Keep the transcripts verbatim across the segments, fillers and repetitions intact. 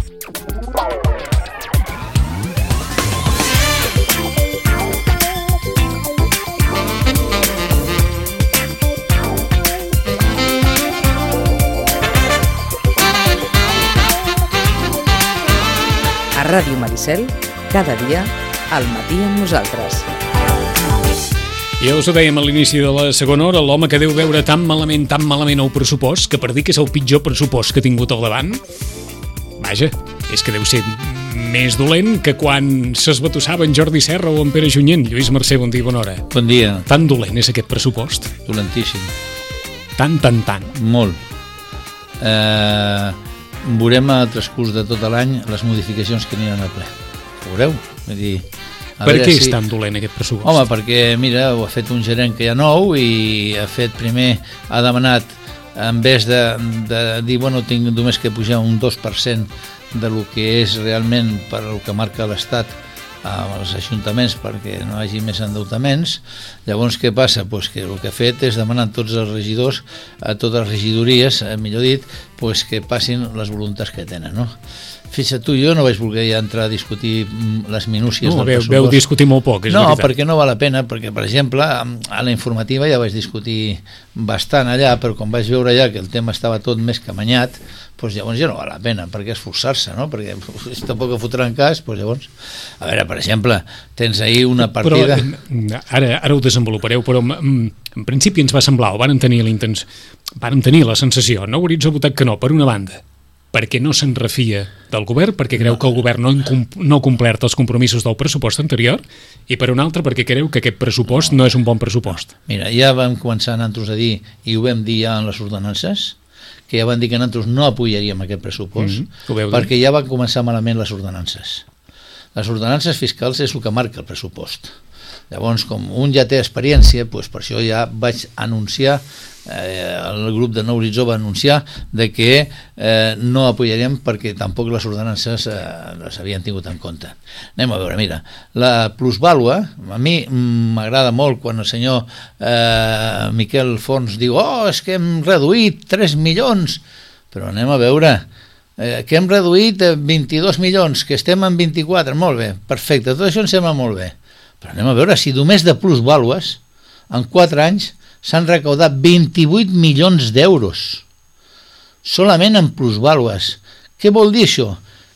A Ràdio Maricel, cada dia, al matí amb nosaltres. Ja us ho dèiem a l'inici de la segona hora, l'home que deu veure tan malament, tan malament el pressupost, que per dir que és el pitjor pressupost que ha tingut al davant, vaja, és que deu ser més dolent que quan s'esbatussava en Jordi Serra o en Pere Junyent. Lluís Mercè, bon dia, bona hora. Bon dia. Tan dolent és aquest pressupost? Dolentíssim. Tan, tan, tan. Molt. Eh, veurem al transcurs de tot l'any les modificacions que aniran al ple. Ho veureu? Vull dir, per què si... és tan dolent aquest pressupost? Home, perquè, mira, ho ha fet un gerent que hi ha nou i ha fet primer, ha demanat, en vez de, de dir, bueno, tinc només que pujar un dos per cent de lo que és realment per el que marca l'Estat als ajuntaments perquè no hi hagi més endeutaments. Llavors què passa? Pues que el que ha fet és demanar a tots els regidors, a totes les regidories, millor dit, pues que passin les voluntats que tenen, no? Fixa't tu, jo no vaig voler ja entrar a discutir les minúcies no, del veu, pressupost. Veu discutir molt poc, és no, veritat. perquè no val la pena, perquè, per exemple, a la informativa ja vaig discutir bastant allà, però quan vaig veure ja que el tema estava tot més que amanyat, doncs llavors ja no val la pena, perquè esforçar-se, no? Perquè si tampoc ho fotran cas, doncs llavors... A veure, per exemple, tens ahir una partida... Però ara, ara ho desenvolupareu, però en, en principi ens va semblar, o vàrem tenir, vàrem tenir la sensació, no hauríeu votat que no, per una banda, perquè no se'n refia del govern, perquè creu no. que el govern no, no ha complert els compromisos del pressupost anterior, i per una altra perquè creu que aquest pressupost no, no és un bon pressupost. Mira, ja vam començar nosaltres a dir, i ho vam dir ja en les ordenances, que ja van dir que nosaltres no apoyaríem aquest pressupost, mm-hmm. perquè ja van començar malament les ordenances. Les ordenances fiscals és el que marca el pressupost. Llavors, com un ja té experiència, doncs per això ja vaig anunciar, eh, el grup de Nou Horitzó va anunciar de que eh, no apoyaríem perquè tampoc les ordenances eh, les havien tingut en compte. Anem a veure, mira, la plusvàlua, a mi m'agrada molt quan el senyor eh, Miquel Fons diu oh, és que hem reduït tres milions, però anem a veure, eh, que hem reduït vint-i-dos milions, que estem en vint-i-quatre, molt bé, perfecte, tot això em sembla molt bé. Però anem a veure si només de plusvàlues en quatre anys s'han recaudat vint-i-vuit milions d'euros solament en plusvàlues. Què vol dir això?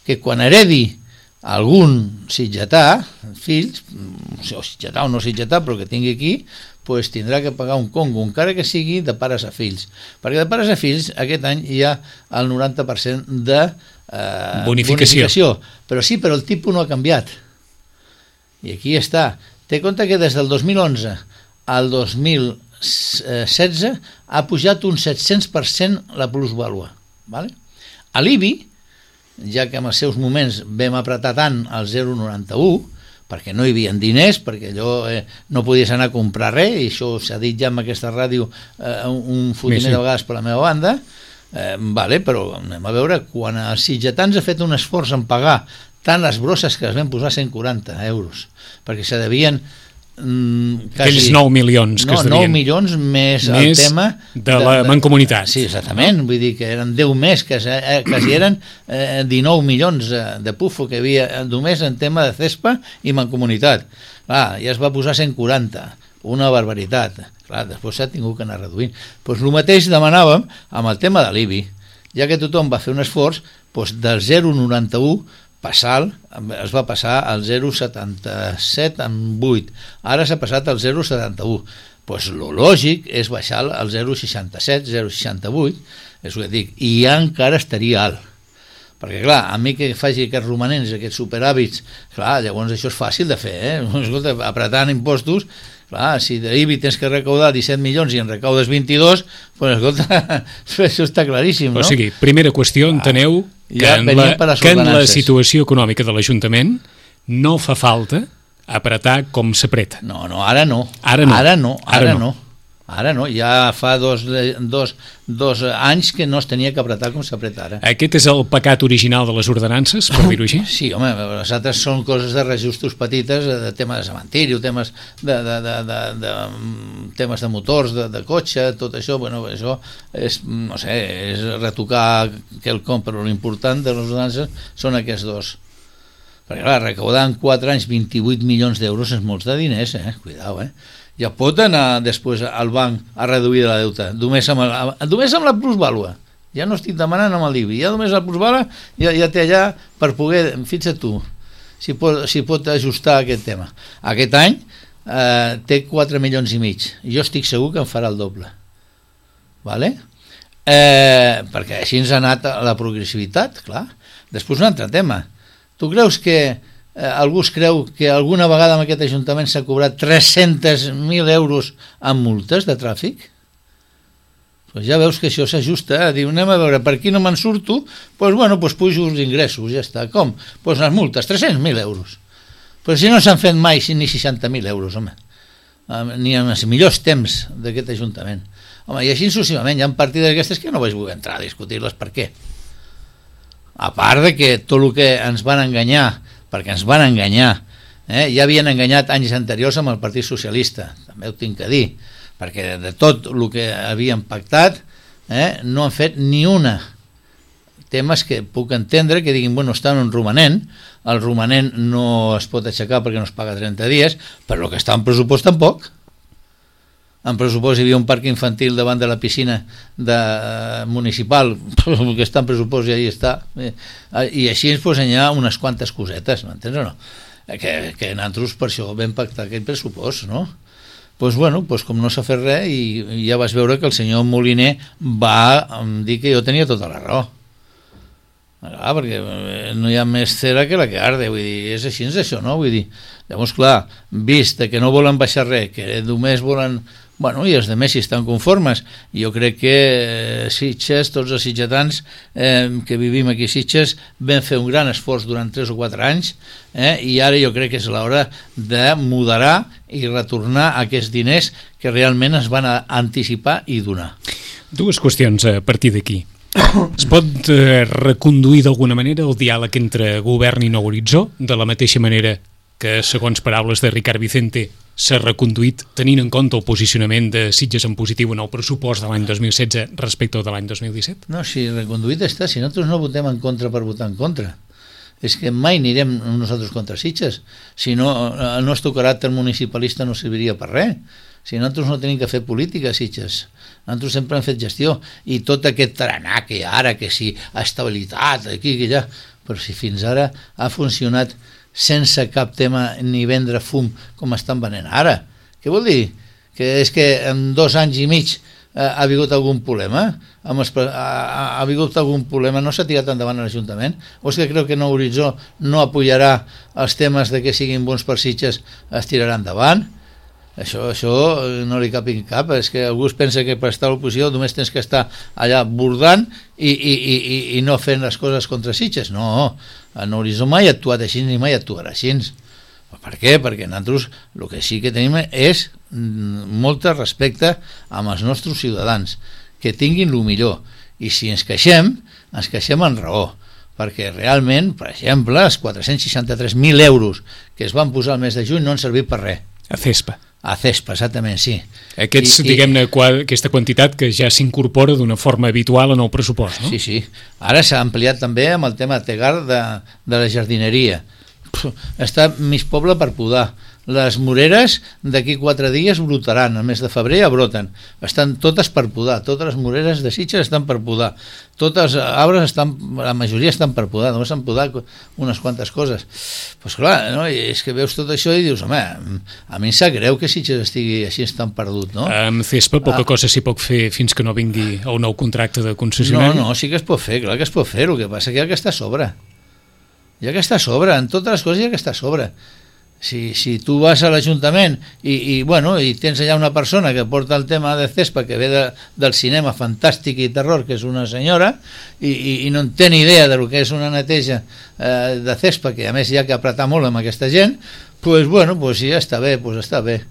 Que quan heredi algun sitgetà, fills, o sitgetà o no sitgetà, però que tingui aquí, pues tindrà que pagar un congo, encara que sigui de pares a fills. Perquè de pares a fills aquest any hi ha el noranta per cent de eh, bonificació. bonificació. Però sí, però el tipus no ha canviat. I aquí està. Té compte que des del dos mil onze al dos mil setze ha pujat un set-cents per cent la plusvàlua. Vale? A l'I B I, ja que en els seus moments vam apretar tant el zero coma noranta-u, perquè no hi havia diners, perquè allò eh, no podies anar a comprar res, i això s'ha dit ja en aquesta ràdio eh, un fotiner sí, sí. de vegades per la meva banda, eh, vale, però anem a veure, quan els sitgetans ha fet un esforç en pagar tant les brosses que es van posar cent quaranta euros, perquè se devien mm, quasi... Aquells nou milions que no, es devien. nou milions més, més el tema... de, de la mancomunitat. Sí, exactament, vull dir que eren deu més, que quasi eren eh, dinou milions de pufo que hi havia només en tema de cespa i mancomunitat. Clar, ja es va posar cent quaranta, una barbaritat. Clar, després s'ha tingut que anar reduint. Doncs el mateix demanàvem amb el tema de l'I B I. Ja que tothom va fer un esforç, doncs del zero coma noranta-u passar, es va passar al zero coma setanta-set en vuit, ara s'ha passat al zero coma setanta-u. Pues lo lògic és baixar al zero coma seixanta-set, zero coma seixanta-vuit, és el que dic, i ja encara estaria alt. Perquè clar, a mi que faci aquests romanents, aquests superhàbits, clar, llavors això és fàcil de fer, eh? Escolta, apretant impostos, clar, si d'I B I tens que recaudar disset milions i en recaudes vint-i-dos, pues escolta, això està claríssim, no? O sigui, primera qüestió, enteneu que, ja en, la, que en la situació econòmica de l'Ajuntament no fa falta apretar com s'apreta. No, no, ara no. Ara no. Ara no, ara, ara no. no. Ara no, ja fa dos, dos, dos anys que no es tenia que apretar com s'apreta ara. Aquest és el pecat original de les ordenances, per dir-ho així? Sí, home, les altres són coses de reajustos petites, de temes de cementiri, temes de, de, de, de, de, temes de motors, de, de cotxe, tot això, bueno, això és, no sé, és retocar quelcom, però l'important de les ordenances són aquests dos. Perquè clar, recaudar en quatre anys vint-i-vuit milions d'euros és molts de diners, eh? Cuidao, eh? Ja pot anar després al banc a reduir la deuta, només amb, el, només amb la plusvàlua. Ja no estic demanant amb el I B I, ja només la plusvàlua ja, ja té allà per poder, fixa't tu, si pot, si pot ajustar aquest tema. Aquest any eh, té quatre milions i mig, jo estic segur que en farà el doble. Vale? Eh, perquè així ens ha anat la progressivitat, clar. Després un altre tema. Tu creus que Eh, algú es creu que alguna vegada en aquest Ajuntament s'ha cobrat tres-cents mil euros en multes de tràfic? Pues ja veus que això s'ajusta, eh? Diu, anem a veure, per aquí no me'n surto, pues bueno, pues pujo els ingressos, ja està. Com? Pues les multes, tres-cents mil euros. Però si no s'han fet mai ni seixanta mil euros, home, ni en els millors temps d'aquest Ajuntament. Home, i així successivament, hi ha partides d'aquestes que no vaig voler entrar a discutir-les per què. A part de que tot el que ens van enganyar, perquè ens van enganyar, eh? Ja havien enganyat anys anteriors amb el Partit Socialista, també ho tinc que dir, perquè de tot el que havien pactat eh, no han fet ni una. Temes que puc entendre que diguin, bueno, està en un romanent, el romanent no es pot aixecar perquè no es paga trenta dies, però el que està en pressupost tampoc. En pressupost hi havia un parc infantil davant de la piscina de, uh, municipal, el que està en pressupost i ahí està, eh, i així ens posen ja unes quantes cosetes, m'entens o no? Que, que nosaltres per això vam pactar aquest pressupost, no? Doncs bueno, pues com no s'ha fet res, i, i ja vas veure que el senyor Moliner va dir que jo tenia tota la raó. Ah, perquè no hi ha més cera que la que arde, vull dir, és així, és això, no? Vull dir, llavors, clar, vist que no volen baixar res, que només volen... Bueno, i els de més si estan conformes. Jo crec que eh, Sitges, tots els sitgetans eh, que vivim aquí a Sitges, vam fer un gran esforç durant tres o quatre anys eh, i ara jo crec que és l'hora de moderar i retornar aquests diners que realment es van anticipar i donar. Dues qüestions a partir d'aquí. Es pot eh, reconduir d'alguna manera el diàleg entre govern i Nou Horitzó, de la mateixa manera que, segons paraules de Ricard Vicente, s'ha reconduït tenint en compte el posicionament de Sitges en positiu en el pressupost de l'any dos mil setze respecte al de l'any dos mil disset? No, si reconduït està, si nosaltres no votem en contra per votar en contra. És que mai anirem nosaltres contra Sitges. Si no, el nostre caràcter municipalista no serviria per res. Si nosaltres no tenim que fer política a Sitges. Nosaltres sempre hem fet gestió. I tot aquest taranà que hi ha ara, que si estabilitat, aquí, que allà... Però si fins ara ha funcionat sense cap tema ni vendre fum com estan venent ara. Què vol dir? Que és que en dos anys i mig eh, ha hagut algun problema? Amb els, ha, ha hagut algun problema? No s'ha tirat endavant l'Ajuntament? O és que creu que Nou Horitzó no apoyarà els temes de que siguin bons per Sitges, es tirarà endavant? Això, això no li cap en cap. És que algú es pensa que per estar a l'oposició només tens que estar allà bordant i, i, i, i no fent les coses contra Sitges. No, el Nou Horitzó mai ha actuat així ni mai actuarà així. Per què? Perquè nosaltres el que sí que tenim és molt respecte amb els nostres ciutadans, que tinguin el millor. I si ens queixem, ens queixem en raó. Perquè realment, per exemple, els quatre-cents seixanta-tres mil euros que es van posar al mes de juny no han servit per res. A CESPA. A CESPA, exactament, sí. Aquests, I, diguem-ne, aquesta quantitat que ja s'incorpora d'una forma habitual en el pressupost, no? Sí, sí. Ara s'ha ampliat també amb el tema Tegar de, de la jardineria. Puh, està mig poble per podar. Les moreres d'aquí quatre dies brotaran, al mes de febrer ja broten. Estan totes per podar, totes les moreres de Sitges estan per podar. Totes els arbres estan, la majoria estan per podar, només s'han podat unes quantes coses. Doncs pues clar, no? I és que veus tot això i dius, home, a mi em sap greu que Sitges estigui així tan perdut, no? Amb CESPA poca ah. cosa s'hi pot fer fins que no vingui el nou contracte de concessionari. No, no, sí que es pot fer, clar que es pot fer, el que passa que hi ha que està a sobre. Hi ha que està a sobre, en totes les coses hi ha que està a sobre. Si, si tu vas a l'Ajuntament i, i, bueno, i tens allà una persona que porta el tema de CESPA, que ve de, del cinema fantàstic i terror, que és una senyora, i, i, i no en té ni idea del que és una neteja eh, de CESPA, que a més hi ha que apretar molt amb aquesta gent, doncs pues, bueno, pues, sí, està bé, pues està bé.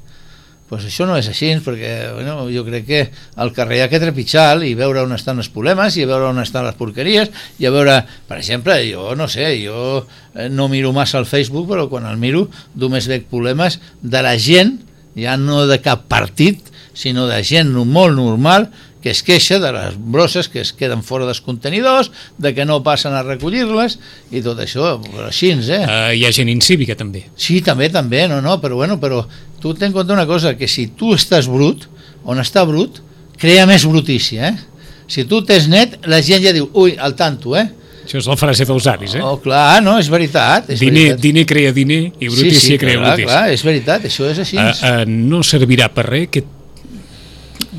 pues això no és així, perquè bueno, jo crec que al carrer hi ha que trepitjar i veure on estan els problemes i veure on estan les porqueries i a veure, per exemple, jo no sé, jo no miro massa al Facebook, però quan el miro només veig problemes de la gent, ja no de cap partit, sinó de gent molt normal que es queixa de les brosses que es queden fora dels contenidors, de que no passen a recollir-les i tot això, però així, eh? Uh, hi ha gent incívica, també. Sí, també, també, no, no, però bueno, però tu ten en compte una cosa, que si tu estàs brut, on està brut, crea més brutícia, eh? Si tu t'és net, la gent ja diu, ui, al tanto, eh? Això és la frase dels avis, eh? Oh, clar, no, és veritat. És diner, veritat. diner crea diner i brutícia sí, sí, crea clar, brutícia. Clar, és veritat, això és així. Uh, uh, no servirà per res que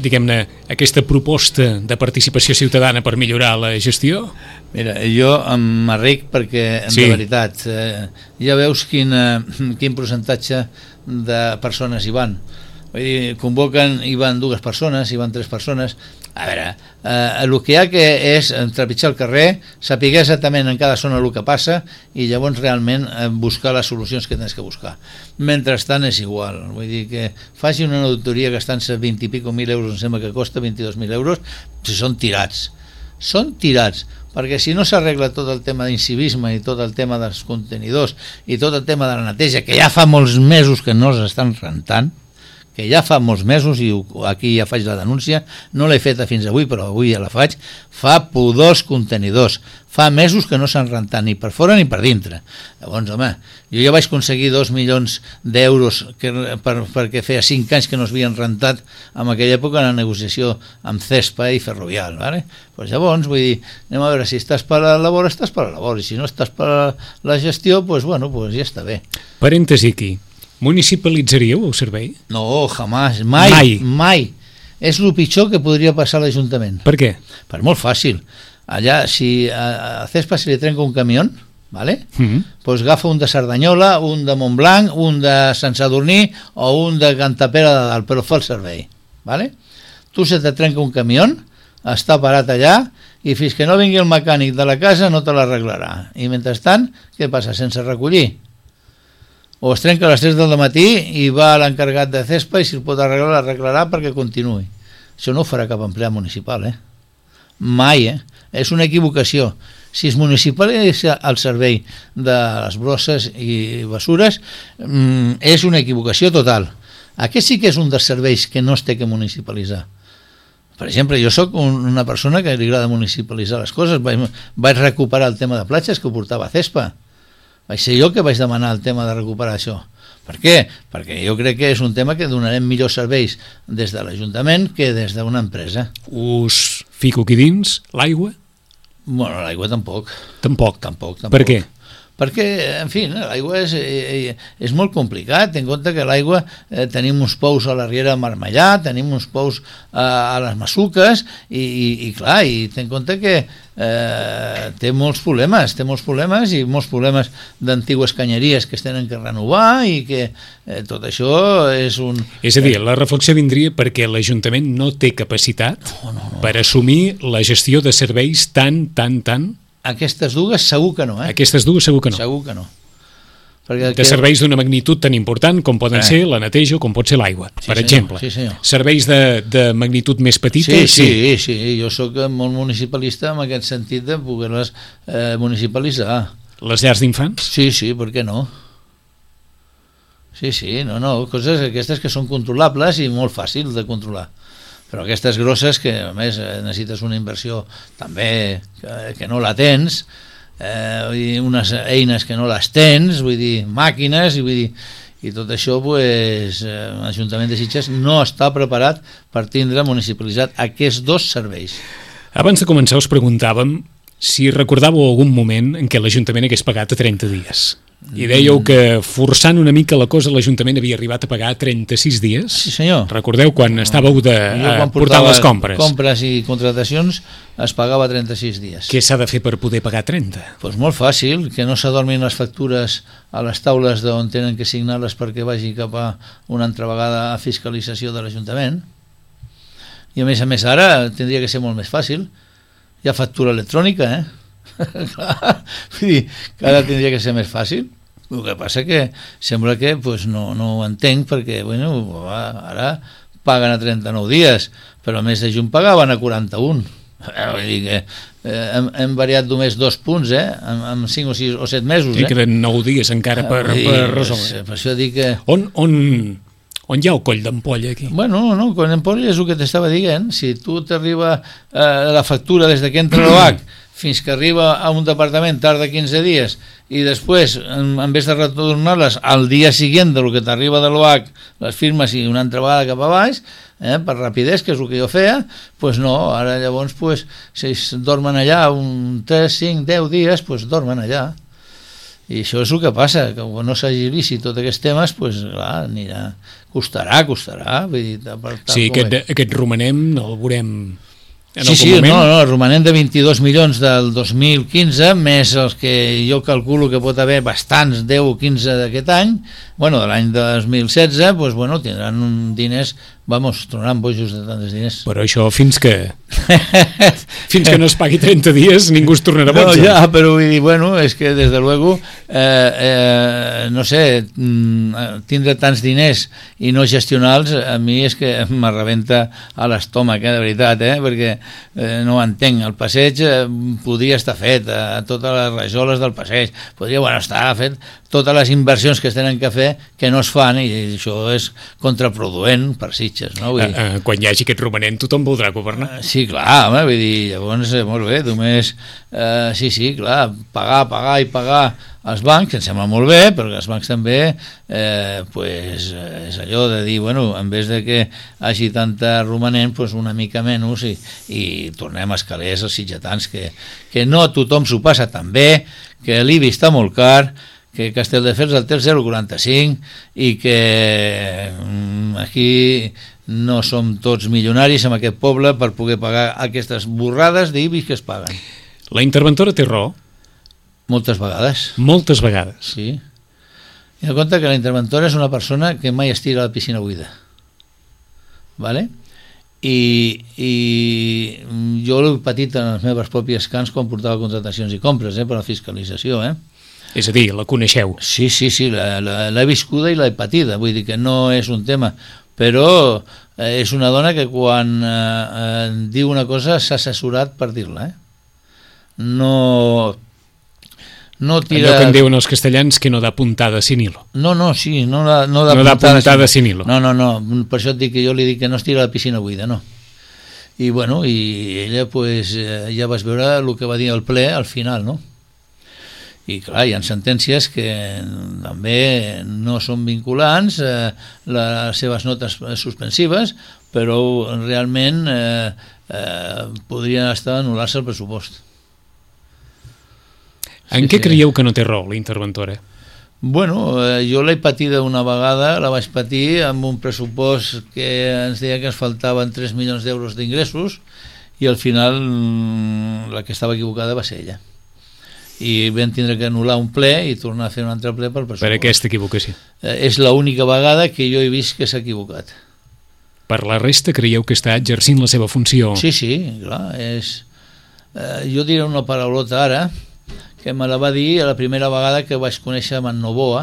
diguem-ne, aquesta proposta de participació ciutadana per millorar la gestió? Mira, jo m'arric perquè, sí. de veritat, eh, ja veus quin, eh, quin percentatge de persones hi van. Vull dir, convoquen, hi van dues persones, hi van tres persones. A veure, eh, el que hi ha que és trepitjar el carrer, saber exactament en cada zona el que passa i llavors realment eh, buscar les solucions que tens que buscar. Mentrestant és igual, vull dir que faci una auditoria gastant-se vint i pico mil euros, em sembla que costa vint-i-dos mil euros, si són tirats. Són tirats, perquè si no s'arregla tot el tema d'incivisme i tot el tema dels contenidors i tot el tema de la neteja, que ja fa molts mesos que no s'estan rentant, que ja fa molts mesos, i aquí ja faig la denúncia, no l'he feta fins avui, però avui ja la faig, fa pudors contenidors, fa mesos que no s'han rentat ni per fora ni per dintre. Llavors, home, jo ja vaig aconseguir dos milions d'euros que, per, perquè feia cinc anys que no s'havien rentat en aquella època en la negociació amb Cespa i Ferrovial, ¿vale? Pues llavors, vull dir, anem a veure, si estàs per la labor, estàs per la labor, i si no estàs per la gestió, pues bueno, pues ja està bé. Parèntesi aquí. Municipalitzaríeu el servei? No, jamás, mai, mai, mai. És el pitjor que podria passar a l'Ajuntament. Per què? Per molt fàcil. Allà, si a, a Cespa se li trenca un camió, ¿vale? Mm-hmm. Pues agafa un de Cerdanyola, un de Montblanc, un de Sant Sadurní o un de Cantapera de Dalt, però fa el servei, ¿vale? Tu se te trenca un camió, està parat allà, i fins que no vingui el mecànic de la casa no te l'arreglarà. I mentrestant, què passa? Sense recollir. O es trenca a les tres del matí i va a l'encarregat de Cespa i si el pot arreglar, l'arreglarà perquè continuï. Això no ho farà cap empleat municipal, eh? Mai, eh? És una equivocació. Si es municipalitza el servei de les brosses i bessures, mmm, és una equivocació total. Aquest sí que és un dels serveis que no es té que municipalitzar. Per exemple, jo sóc una persona que li agrada municipalitzar les coses. Vaig, vaig recuperar el tema de platges que ho portava a Cespa. Vaig ser jo que vaig demanar el tema de recuperar això. Per què? Perquè jo crec que és un tema que donarem millors serveis des de l'Ajuntament que des d'una empresa. Us fico aquí dins l'aigua? Bueno, l'aigua tampoc. Tampoc? Tampoc, tampoc. Per què? Perquè, en fi, l'aigua és, és molt complicat. Ten en compte que l'aigua eh, tenim uns pous a la Riera de Marmellà, tenim uns pous a, a les Masuques i, i, i clar, i ten en compte que eh, té molts problemes, té molts problemes i molts problemes d'antigues canyeries que es tenen que renovar i que eh, tot això és un... És a dir, la reflexió vindria perquè l'Ajuntament no té capacitat no, no, no. per assumir la gestió de serveis tan, tan, tan... Aquestes dues segur que no, eh? Aquestes dues segur que no. Segur que no. Perquè de que... serveis d'una magnitud tan important com poden eh. ser la neteja o com pot ser l'aigua, sí, per senyor, exemple. Sí, senyor. Serveis de, de magnitud més petita? Sí, sí, sí, sí, jo sóc molt municipalista en aquest sentit de poder-les eh, municipalitzar. Les llars d'infants? Sí, sí, per què no? Sí, sí, no, no, coses aquestes que són controlables i molt fàcils de controlar. Però aquestes grosses que a més necessites una inversió també que, que no la tens, eh, unes eines que no les tens, vull dir, màquines, i vull dir, i tot això pues, eh, l'Ajuntament de Sitges no està preparat per tindre municipalitzat aquests dos serveis. Abans de començar us preguntàvem si recordàveu algun moment en què l'Ajuntament hagués pagat a trenta dies. I dèieu que forçant una mica la cosa l'Ajuntament havia arribat a pagar trenta-sis dies. Sí, senyor. Recordeu quan estàveu de quan portar les compres? Compres i contratacions es pagava trenta-sis dies. Què s'ha de fer per poder pagar trenta? Doncs pues molt fàcil, que no s'adormin les factures a les taules d'on tenen que signar-les perquè vagi cap a una altra vegada a fiscalització de l'Ajuntament. I a més a més ara tindria que ser molt més fàcil. Hi ha factura electrònica, eh? Clar, vull dir que ara tindria que ser més fàcil. El que passa que sembla que pues, no, no ho entenc perquè bueno, ara paguen a trenta-nou dies, però el mes de juny pagaven a quaranta-un. Vull dir que eh, hem, hem variat només dos punts eh, en, en cinc o sis o set mesos eh? I queden nou dies encara per, dir, per resoldre. Per això dic que... On, on, on hi ha el coll d'ampolla aquí? Bueno, no, coll d'ampolla és el que t'estava dient. Si tu t'arriba eh, la factura des que entra l'O H fins que arriba a un departament tarda quinze dies i després, en, en vez de retornar-les al dia següent del que t'arriba de l'O H, les firmes i una altra vegada cap a baix, eh, per rapidesa, que és el que jo feia, doncs no, ara llavors pues, si dormen allà un tres, cinc, deu dies, doncs dormen allà. I això és el que passa, que quan no s'agilici tots aquests temes, doncs clar, anirà, costarà, costarà. Vull dir, per, sí, aquest, aquest romanem el veurem... Sí, sí, no, no, el romanent de vint-i-dos milions del dos mil quinze, més els que jo calculo que pot haver bastants, deu o quinze d'aquest any, bueno, de l'any dos mil setze, doncs, bueno, tindran un diners, vamos, tornaran bojos de tants diners. Però això fins que fins que no es pagui trenta dies ningú es tornarà boig. No, ja, però vull dir, bueno, és que des de luego, eh, eh, no sé, tindre tants diners i no gestionar-los, a mi és que m'arrebenta a l'estómac, eh, de veritat, eh, perquè eh, no ho entenc. El passeig eh, podria estar fet, a totes les rajoles del passeig, podria, bueno, estar fet totes les inversions que es tenen que fer que no es fan, i això és contraproduent per Sitges, no? Vull dir, uh, uh, quan hi hagi aquest romanent tothom voldrà governar. Uh, sí, clar, home, vull dir, llavors, eh, molt bé, només, uh, sí, sí, clar, pagar, pagar i pagar als bancs, em sembla molt bé, però els bancs també, eh, pues, és allò de dir, bueno, en vez de que hagi tanta romanent, pues una mica menys, i, i tornem a escalers als sitgetans, que, que no tothom s'ho passa tan bé, que l'I B I està molt car, que Castelldefels el té el zero coma quaranta-cinc i que mm, aquí no som tots milionaris en aquest poble per poder pagar aquestes borrades d'I B I que es paguen. La interventora té raó? Moltes vegades. Moltes vegades. Sí. I en compte que la interventora és una persona que mai es tira a la piscina buida. Vale? I, i jo l'he patit en les meves pròpies cans quan portava contratacions i compres, eh, per la fiscalització, eh? És a dir, la coneixeu. Sí, sí, sí, l'he viscuda i l'he patida, vull dir que no és un tema, però eh, és una dona que quan eh, eh, diu una cosa s'ha assessorat per dir-la, eh? No... No tira... Allò que en diuen els castellans que no da puntada sin hilo. No, no, sí, no da, no da no puntada, da puntada sin hilo. No, no, no, per això et dic que jo li dic que no es tira a la piscina buida, no. I bueno, i ella pues, eh, ja vas veure el que va dir al ple al final, no? I clar, hi ha sentències que també no són vinculants, eh, les seves notes suspensives, però realment eh, eh, podrien estar anul·lar-se el pressupost. En sí, què sí. Creieu que no té raó la interventora? Bueno, eh, jo l'he patida una vegada, la vaig patir amb un pressupost que ens deia que ens faltaven tres milions d'euros d'ingressos i al final la que estava equivocada va ser ella. I vam tindre que anul·lar un ple i tornar a fer un altre ple per pressupost. Per aquesta equivocació. Eh, és l'única vegada que jo he vist que s'ha equivocat. Per la resta creieu que està exercint la seva funció? Sí, sí, clar. És... Eh, jo diré una paraulota ara, que me la va dir la primera vegada que vaig conèixer amb en Novoa.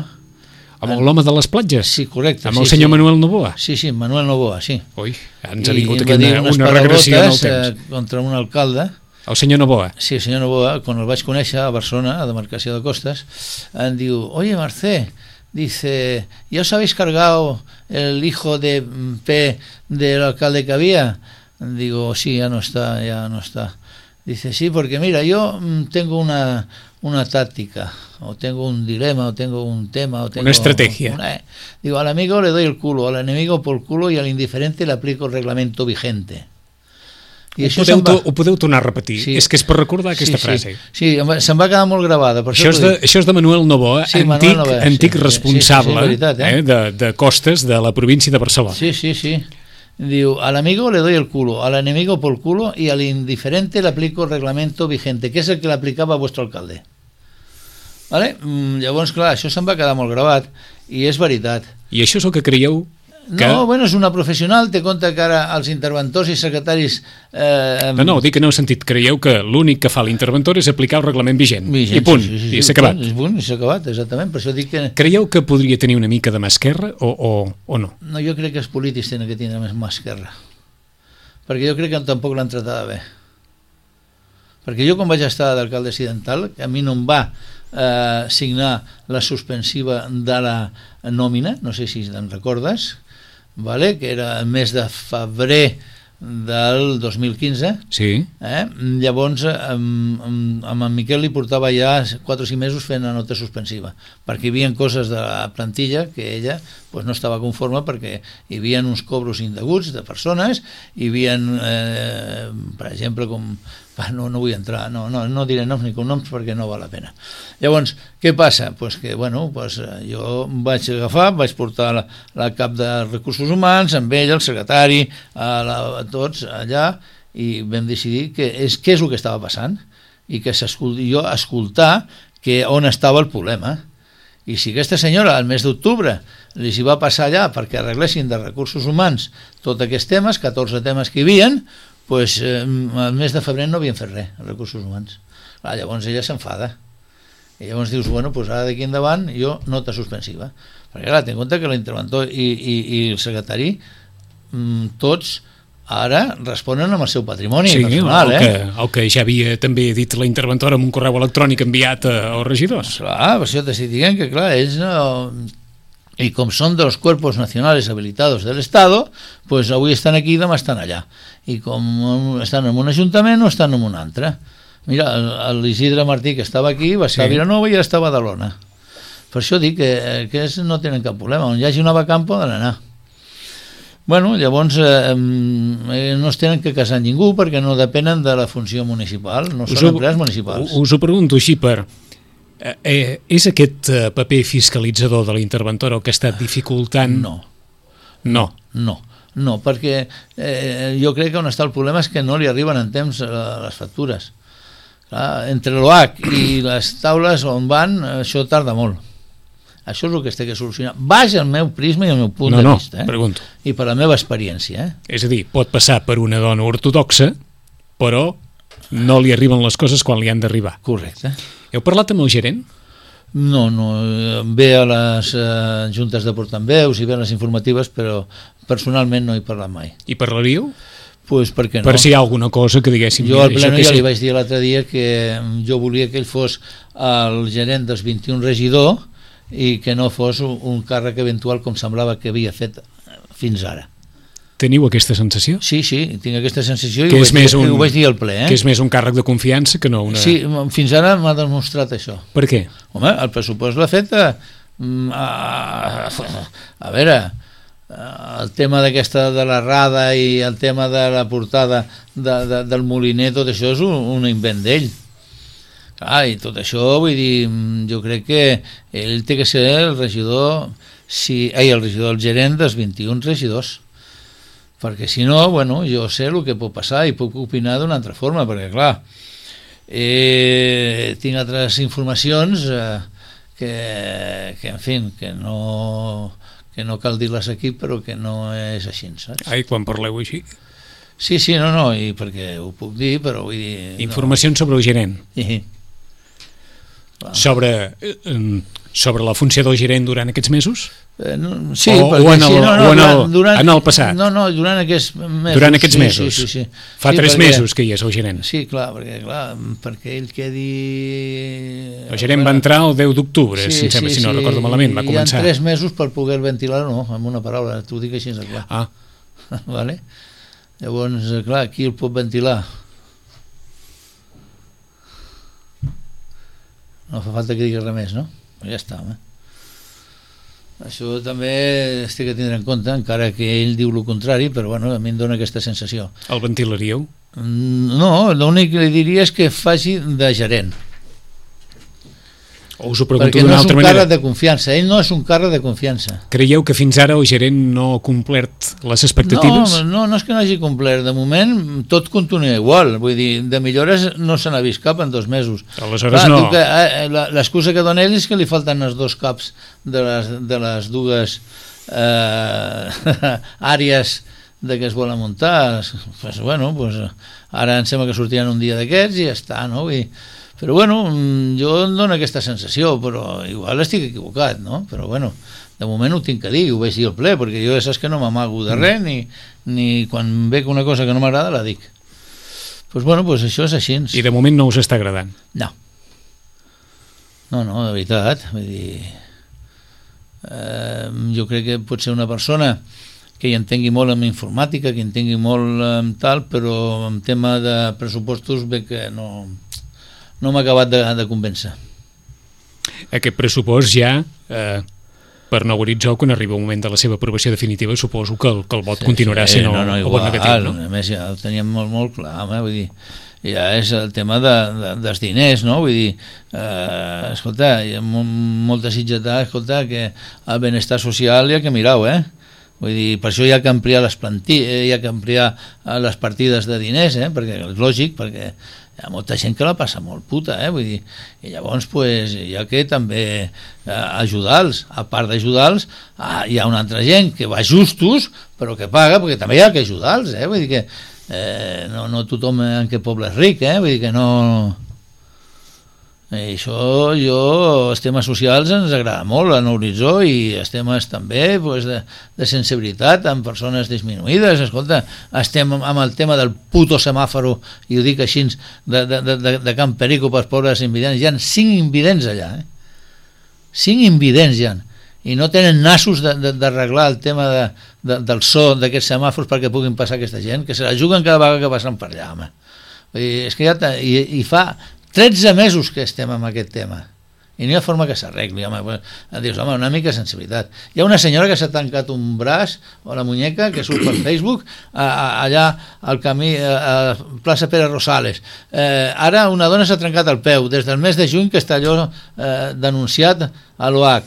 Amb l'home de les platges? Sí, correcte. Amb el sí, senyor sí. Manuel Novoa? Sí, sí, Manuel Novoa, sí. Ui, ens ha vingut aquí una, una regressió en el temps. Eh, contra un alcalde. El senyor Novoa? Sí, el senyor Novoa, quan el vaig conèixer a Barcelona, a demarcació de Costes, em diu, oye, Marcé, dice, ¿ya os habéis cargado el hijo de P del alcalde que había? Digo, sí, ya no está, ya no está. Dice, sí, porque mira, yo tengo una, una táctica, o tengo un dilema, o tengo un tema, o tengo una estrategia. Una, eh. Digo, al amigo le doy el culo, al enemigo por culo y al indiferente le aplico el reglamento vigente. I ho, podeu, va... ho podeu tornar a repetir, sí. És que és per recordar aquesta sí, frase. Sí, sí, se'm va quedar molt gravada. Per això, això, és de, això és de Manuel Novoa, sí, antic, Manuel Novoa, antic sí, responsable sí, sí, sí, veritat, eh? Eh, de, de Costes de la província de Barcelona. Sí, sí, sí. Diu, al amigo le doy el culo, al enemigo por culo y al indiferente le aplico el reglamento vigente, que és el que l'aplicava a vuestro alcalde. Vale? Llavors, clar, això se'm va quedar molt gravat i és veritat. I això és el que creieu Que... No, bueno, és una professional, té compte que ara els interventors i secretaris... Eh... No, no, dic que no heu sentit. Creieu que l'únic que fa l'interventor és aplicar el reglament vigent. vigent I punt, sí, sí, sí, i s'ha acabat. I punt, i s'ha acabat, exactament. Per això dic que... Creieu que podria tenir una mica de mà esquerra o, o, o no? No, jo crec que els polítics tenen que tenir més mà esquerra. Perquè jo crec que tampoc l'han tratada bé. Perquè jo quan vaig estar d'alcalde accidental, a mi no em va eh, signar la suspensiva de la nòmina, no sé si te'n recordes, vale? Que era el mes de febrer del dos mil quinze. Sí. Eh? Llavors amb, amb, amb en Miquel li portava ja quatre o cinc mesos fent la nota suspensiva, perquè hi havia coses de la plantilla que ella pues, no estava conforme, perquè hi havia uns cobros indeguts de persones, hi havia eh, per exemple com no, no vull entrar, no, no, no diré noms ni cognoms perquè no val la pena. Llavors, què passa? Pues que, bueno, pues, jo vaig agafar, vaig portar la, la cap de recursos humans, amb ell, el secretari, a, la, a tots allà, i vam decidir que és, què és el que estava passant, i que jo escoltar que on estava el problema. I si aquesta senyora al mes d'octubre li s'hi va passar allà perquè arreglessin de recursos humans tots aquests temes, catorze temes que hi havia, pues, eh, el mes de febrer no havien fet res, els recursos humans. Clar, llavors ella s'enfada. I llavors dius, bueno, pues ara d'aquí endavant jo nota suspensiva. Perquè clar, ten en compte que l'interventor i, i, i el secretari, mm, tots ara responen amb el seu patrimoni sí, personal. El, eh? que, el que ja havia també dit la interventora amb un correu electrònic enviat als regidors. Clar, per això t'estic dient que clar, ells no... Y como son de los cuerpos nacionales habilitados del Estado, pues avui estan aquí i demà estan allà. I com estan en un ajuntament o estan en un altre. Mira, l'Isidre Martí, que estava aquí, va estar sí. a Vilanova i ara està a Badalona. Per això dic que, que és, no tenen cap problema. On hi hagi una vacant poden anar. Bueno, llavors eh, no es tenen que casar ningú perquè no depenen de la funció municipal, no són empleats municipals. Us ho pregunto així per... Eh, eh, és aquest eh, paper fiscalitzador de l'interventor el que ha estat dificultant? No. No. No, no, perquè eh, jo crec que on està el problema és que no li arriben en temps eh, les factures. Clar, entre l'O H i les taules on van, això tarda molt. Això és el que es té que solucionar. Baix el meu prisma i el meu punt no, de no, vista. Eh? Pregunto. I per la meva experiència. Eh? És a dir, pot passar per una dona ortodoxa, però no li arriben les coses quan li han d'arribar. Correcte. Heu parlat amb el gerent? No, no, ve a les eh, juntes de portaveus i ve a les informatives, però personalment no he parlat mai. I parlaríeu? Pues per què no? Per si hi ha alguna cosa que diguéssim... Jo al pleno ja li vaig dir l'altre dia que jo volia que ell fos el gerent dels vint-i-un regidor i que no fos un càrrec eventual com semblava que havia fet fins ara. Teniu aquesta sensació? Sí, sí, tinc aquesta sensació i ho vaig, dir, un, ho vaig dir al ple. Eh? Que és més un càrrec de confiança que no una... Sí, fins ara m'ha demostrat això. Per què? Home, el pressupost l'ha fet a, a, a veure, el tema d'aquesta de la rada i el tema de la portada de, de, del moliner, tot això és un, un invent d'ell. Ah, i tot això, vull dir, jo crec que ell té que ser el regidor, si, ai, el regidor, el gerent dels vint-i-un regidors. Perquè si no, bueno, jo sé el que pot passar i puc opinar d'una altra forma, perquè clar, eh, tinc altres informacions eh, que, que, en fi, que no, que no cal dir-les aquí, però que no és així, saps? Ai, quan parleu així? Sí, sí, no, no, i perquè ho puc dir, però vull dir... Informacions no. Sobre el gerent. Sí. Sobre, eh, sobre la funció del gerent durant aquests mesos? Eh, no, sí, o, o, en el, sí, no, no, o en, el, durant, en el passat? No, no, durant aquests mesos. Durant aquests sí, mesos? Sí, sí, sí. Fa sí, tres perquè, mesos que hi és el gerent? Sí, clar, perquè, clar, perquè ell quedi... El gerent va entrar el deu d'octubre, sí, si, sí, si no sí, recordo malament, va començar. Hi ha tres mesos per poder ventilar, no, amb una paraula, t'ho dic així, clar. Ah. Vale? Llavors, clar, qui el pot ventilar? No fa falta que diguis res més, no? Ja està, home. Això també es té que tindre en compte, encara que ell diu el contrari, però bueno, a mi em dóna aquesta sensació. El ventilaríeu? No, l'únic que li diria és que faci de gerent. O us ho pregunto perquè no d'una és altra un manera. càrrec de confiança, ell no és un càrrec de confiança. Creieu que fins ara el gerent no ha complert les expectatives? No, no, no és que no hagi complert, de moment tot continua igual, vull dir, de millores no se n'ha vist cap en dos mesos. Aleshores no. Eh, l'excusa que dona ell és que li falten els dos caps de les, de les dues eh, àrees de que es volen muntar, pues, bueno, pues, ara em sembla que sortiran un dia d'aquests i ja està, no? I, però bueno, jo em dono aquesta sensació, però igual estic equivocat, no? Però bueno, de moment ho tinc que dir, ho vaig dir al ple, perquè jo ja saps que no m'amago de res, ni, ni quan veig una cosa que no m'agrada la dic. Doncs pues bueno, pues això és així. I de moment no us està agradant? No. No, no, de veritat. Vull dir, eh, jo crec que pot ser una persona que hi entengui molt en informàtica, que hi entengui molt en tal, però en tema de pressupostos veig que no, no m'ha acabat de, de convèncer. Aquest pressupost ja... Eh... per nou horitzó, quan arriba un moment de la seva aprovació definitiva, suposo que el, que el vot sí, continuarà sí, sent no, no, igual, o negatiu, no? A més, ja ho teníem molt, molt clar, home, vull dir, ja és el tema de, de, dels diners, no? Vull dir, eh, escolta, hi ha molta sitgetada, escolta, que el benestar social hi ha que mirar-ho, eh? Vull dir, per això hi ha que ampliar les plantilles, hi ha que ampliar les partides de diners, eh? Perquè és lògic, perquè hi ha molta gent que la passa molt puta, eh? Vull dir, i llavors pues, hi ha que també eh, ajudar-los, a part d'ajudar-los ah, hi ha una altra gent que va justos però que paga, perquè també hi ha que ajudar-los, eh? Vull dir que eh, no, no tothom en aquest poble és ric, eh? Vull dir que no... I això, jo, els temes socials ens agrada molt en l'horitzó i els temes també pues, de, de sensibilitat amb persones disminuïdes. Escolta, estem amb el tema del puto semàforo, i ho dic així, de, de, de, de Can Perico pels pobres invidents. Hi ha cinc invidents allà, eh? Cinc invidents hi ha. I no tenen nassos d'arreglar el tema de, de, del so d'aquests semàfors perquè puguin passar aquesta gent, que se la juguen cada vegada que passen per allà, home. I, és que ja i, i fa tretze mesos que estem amb aquest tema i no hi ha forma que s'arregli, home. Dius, home, una mica de sensibilitat. Hi ha una senyora que s'ha tancat un braç o la muñeca, que surt per Facebook a, a, allà al camí a, a plaça Pere Rosales. Eh, ara una dona s'ha trencat el peu des del mes de juny, que està allò eh, denunciat a l'O H.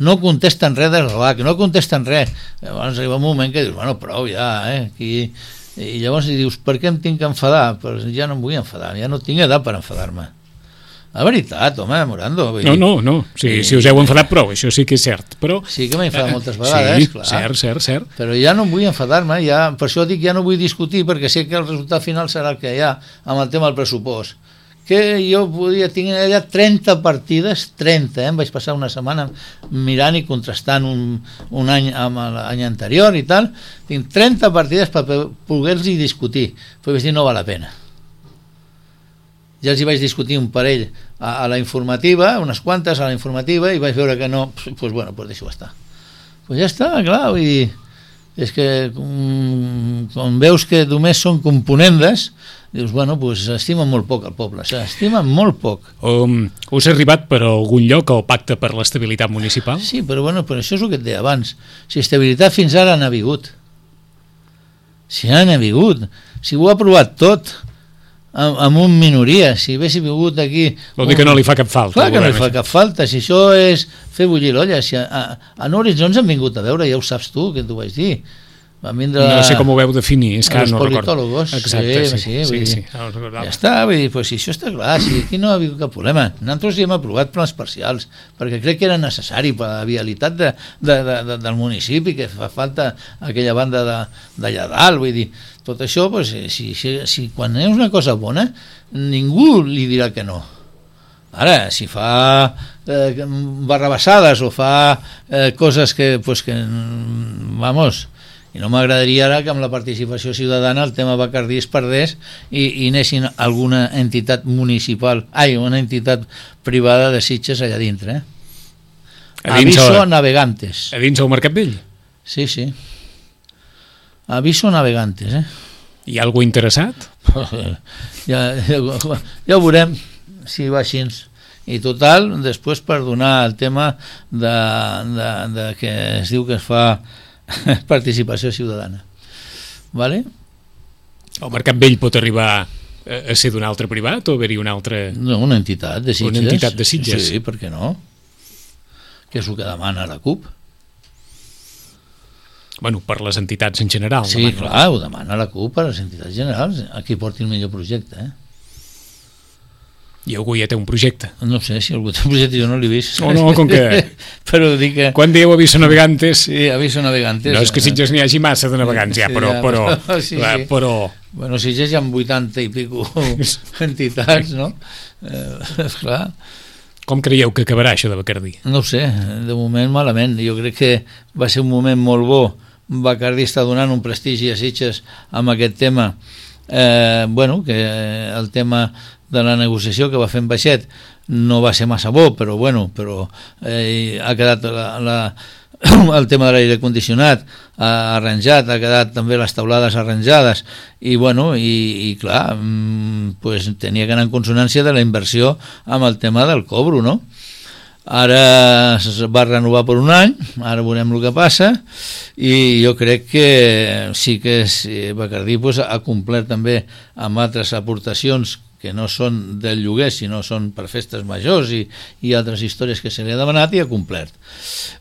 No contesten res de l'O H, no contesten res. Llavors arriba un moment que dius, bueno, prou ja, eh, aquí... I llavors dius, per què em tinc que enfadar? Però ja no em vull enfadar, ja no tinc edat per enfadar-me. La veritat, home, Morando. No, no, no, si, i, si us heu enfadat prou, això sí que és cert, però... Sí que m'he enfadat moltes vegades, sí, clar. cert, cert, cert. Però ja no em vull enfadar-me, ja, per això dic, ja no vull discutir, perquè sé que el resultat final serà el que hi ha amb el tema del pressupost. Que jo podia tenir allà trenta partides, trenta, eh? Em vaig passar una setmana mirant i contrastant un, un any amb l'any anterior i tal, tinc trenta partides per poder-los discutir, però vaig dir no val la pena. Ja els hi vaig discutir un parell a, a la informativa, unes quantes a la informativa, i vaig veure que no, doncs pues bueno, pues deixo estar. Pues ja està, clar, vull dir, és que com, com veus que només són componendes, dius, bueno, pues s'estimen molt poc el poble, s'estimen molt poc. Um, us ha arribat per algun lloc el pacte per l'estabilitat municipal? Sí, però bueno, però això és el que et deia abans. Si estabilitat fins ara n'ha vingut. Si n'ha vingut. Si ho ha aprovat tot, amb, amb un minoria, si haguessi vingut aquí... Vol dir que no li fa cap falta. Clar que no li fa cap falta, si això és fer bullir l'olla. Si a, a, a Horitzó ens han vingut a veure, ja ho saps tu, que t'ho vaig dir. Van vindre no sé com ho veu definir, és que no recordo. Els politòlogos. Exacte, sí, sí, sí, sí, sí, sí. No ja està, vull dir, pues, si això està clar, si aquí no ha hagut cap problema. Nosaltres hi hem aprovat plans parcials, perquè crec que era necessari per la vialitat de, de, de, de, del municipi, que fa falta aquella banda d'allà dalt, vull dir, tot això, pues, si, si, si quan és una cosa bona, ningú li dirà que no. Ara, si fa eh, barrabassades o fa eh, coses que, pues, que, vamos... I no m'agradaria ara que amb la participació ciutadana el tema Bacardí es perdés i, i anessin alguna entitat municipal, ai, una entitat privada de Sitges allà dintre, eh? Aviso a navegantes. A dins del Mercat Vell? Sí, sí. Aviso navegantes, eh? Hi ha algú interessat? ja, ja, ja ho veurem si va així. I total, després per donar el tema de, de, de que es diu que es fa participació ciutadana, vale? El Mercat Vell pot arribar a ser d'un altre privat o haver-hi una altra... No, una entitat de Sitges. Una entitat de Sitges. Sí, per què no? Que és el que demana la CUP. Bueno, per les entitats en general. Sí, demana. Clar, ho demana la CUP per les entitats generals. Aquí porti el millor projecte, eh? I algú ja té un projecte. No sé, si algú té un projecte jo no l'he vist. Oh, no, com que... però dic que... Quan dieu Aviso Navegantes... Sí, Aviso Navegantes. No és que Sitges n'hi hagi massa de navegants ja, però... Sí, però, ja, sí, sí. però... Bueno, Sitges hi ha vuitanta i pico entitats, no? Eh, clar. Com creieu que acabarà això de Bacardí? No ho sé, de moment malament. Jo crec que va ser un moment molt bo. Bacardí està donant un prestigi a Sitges amb aquest tema. Eh, bueno, que el tema de la negociació que va fer en Baixet no va ser massa bo, però bueno, però eh, ha quedat la, la, el tema de l'aire condicionat ha arranjat, ha quedat també les taulades arranjades i bueno, i, i clar pues, tenia que anar en consonància de la inversió amb el tema del cobro, no? Ara es va renovar per un any, ara veurem el que passa i jo crec que sí que Bacardí pues, ha complert també amb altres aportacions que no són del lloguer, sinó són per festes majors i, i altres històries que se li ha demanat i ha complert.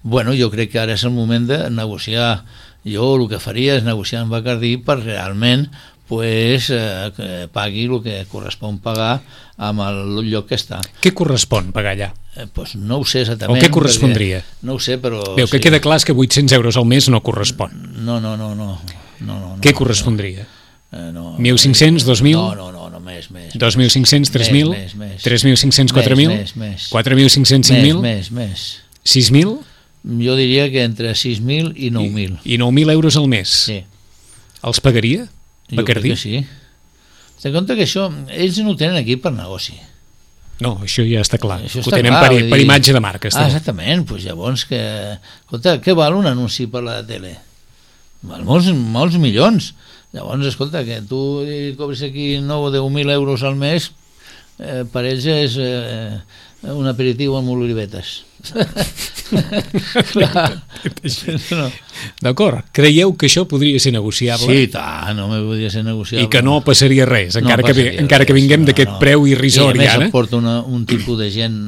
Bueno, jo crec que ara és el moment de negociar. Jo el que faria és negociar amb Bacardí per realment pues, eh, que pagui el que correspon pagar amb el lloc que està. Què correspon pagar allà? Eh, pues no ho sé exactament. O què correspondria? No ho sé, però... Veu que sí. Queda clar que vuit-cents euros al mes no correspon. No, no, no. no, no, no què correspondria? No, eh, no, mil cinc-cents, dos mil? No, no, no, no més, més. dos mil cinc-cents, tres mil? Més, més. tres mil cinc-cents, quatre mil? Més, més. quatre mil cinc-cents, cinc mil? Més, més, més. sis mil? Jo diria que entre sis mil i nou mil. I, i nou mil euros al mes? Sí. Els pagaria? Jo crec que sí. Té compte que això, ells no ho tenen aquí per negoci. No, això ja està clar. Això ho està tenen clar, per, dir... per imatge de marca. Ah, exactament, doncs llavors que... Escolta, què val un anunci per la tele? Val molts, molts milions. Llavors, escolta, que tu cobres aquí nou o deu mil euros al mes, eh, per ells és eh, un aperitiu amb olivetes. Clar. No. D'acord, creieu que això podria ser negociable? Sí, tant, no me podria ser negociable. I que no passaria res, encara, no passaria que, encara res, que vinguem no, d'aquest no. preu irrisori. I a més ara aporta una, un tipus de gent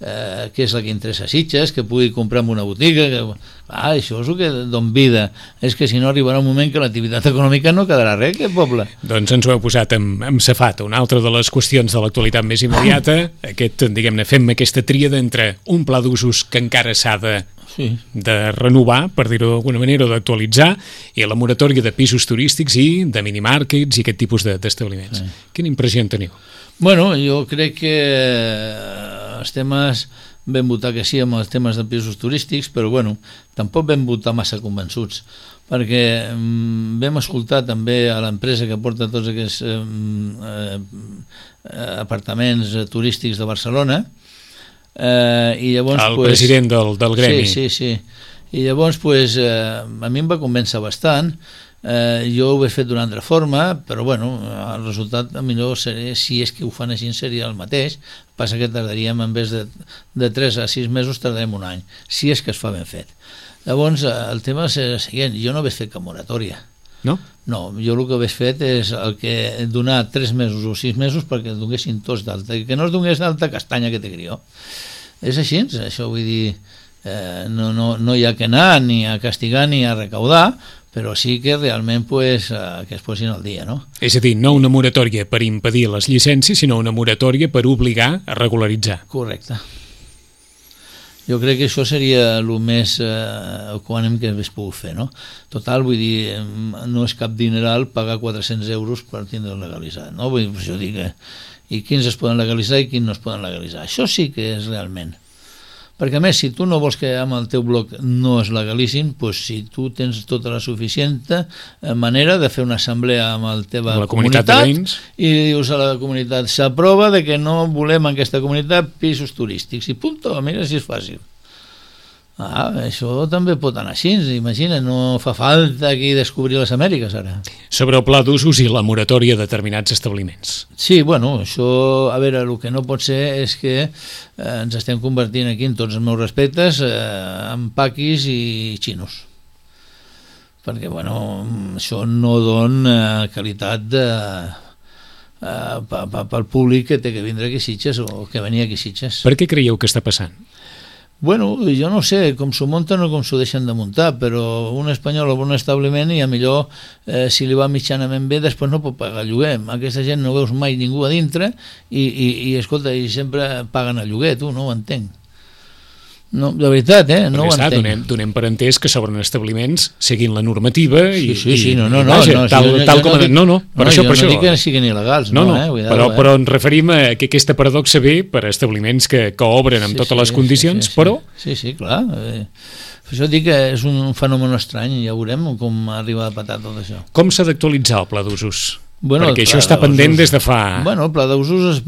eh, que és la que interessa a Sitges, que pugui comprar en una botiga, que, ah, això és el que don vida, és que si no arribarà un moment que l'activitat econòmica no quedarà res, aquest poble. Doncs ens ho heu posat amb, amb safata, una altra de les qüestions de l'actualitat més immediata, aquest, diguem-ne, fem aquesta tríada entre un pla d'usos que encara s'ha de, sí. de renovar, per dir-ho d'alguna manera, o d'actualitzar, i la moratòria de pisos turístics i de minimàrquets i aquest tipus d'establiments. De, sí. Quina impressió en teniu? Bueno, jo crec que els temes vam votar que sí amb els temes de pisos turístics, però bueno, tampoc vam votar massa convençuts, perquè mm, vam escoltar també a l'empresa que porta tots aquests eh, eh, apartaments turístics de Barcelona, eh, i llavors... El pues, president del, del gremi. Sí, sí, sí. I llavors, pues, eh, a mi em va convèncer bastant. Eh, jo ho he fet d'una altra forma, però bueno, el resultat millor seria, si és que ho fan així, seria el mateix. Passa que tardaríem, en vez de, de tres a sis mesos, tardarem un any, si és que es fa ben fet. Llavors, el tema és el següent, jo no vaig fer cap moratòria. No? No, jo el que vaig fet és el que donar tres mesos o sis mesos perquè es donessin tots d'alta, que no es donés d'alta castanya que té crió. És així, això vull dir, eh, no, no, no hi ha que anar ni a castigar ni a recaudar, però sí que realment pues, eh, que es posin al dia, no? És a dir, no una moratòria per impedir les llicències, sinó una moratòria per obligar a regularitzar. Correcte. Jo crec que això seria el més eh, equànim que hagués pogut fer, no? Total, vull dir, no és cap dineral pagar quatre-cents euros per tindre legalitzat, no? Vull dir, jo dic, eh, i quins es poden legalitzar i quins no es poden legalitzar. Això sí que és realment. Perquè a més, si tu no vols que amb el teu bloc no es legalitzin, doncs si tu tens tota la suficient manera de fer una assemblea amb la teva la comunitat, comunitat i dius a la comunitat, s'aprova de que no volem en aquesta comunitat pisos turístics, i punto, mira si és fàcil. Ah, això també pot anar així, imagina, no fa falta aquí descobrir les Amèriques ara. Sobre el pla d'usos i la moratòria de determinats establiments. Sí, bueno, això, a veure, el que no pot ser és que eh, ens estem convertint aquí, en tots els meus respectes, eh, en paquis i xinos. Perquè, bueno, això no dona qualitat de... Uh, pel públic que té que vindre aquí a Sitges o que venia aquí a Sitges. Per què creieu que està passant? Bueno, jo no sé com s'ho munten o com s'ho deixen de muntar, però un espanyol o un establiment, i a millor eh, si li va mitjanament bé, després no pot pagar lloguer. Aquesta gent no veus mai ningú a dintre i, i, i escolta, i sempre paguen el lloguer, tu no ho entenc. No, de veritat, eh? No ho està, entenc. Donem, donem per entès que s'obren establiments seguint la normativa i, sí, sí, sí, no, no, i no, vaja, no, tal, jo, tal jo com... No, dic, no, no, per no, això, jo per no això. dic que siguin il·legals, no, no, no eh? Cuidado, però, eh? però ens referim a que aquesta paradoxa ve per a establiments que, que obren amb sí, totes sí, les condicions, sí, sí, però... Sí, sí, clar. Eh, per això dic que és un fenomen estrany, ja veurem com arriba a patar tot això. Com s'ha d'actualitzar el pla d'usos? Bueno, perquè això està pendent des de fa... Bueno, el pla d'usos és,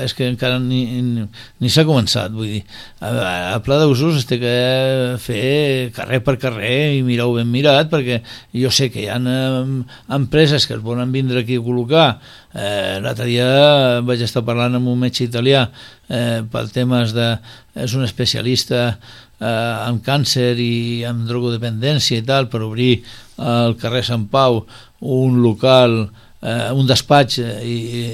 és que encara ni, ni, ni s'ha començat, vull dir, el pla d'usos es té que fer carrer per carrer i mirar-ho ben mirat, perquè jo sé que hi ha empreses que es volen vindre aquí a col·locar. Eh, l'altre dia vaig estar parlant amb un metge italià eh, pel temes de... és un especialista eh, en càncer i en drogodependència i tal, per obrir al carrer Sant Pau un local, eh, un despatx, eh, i, i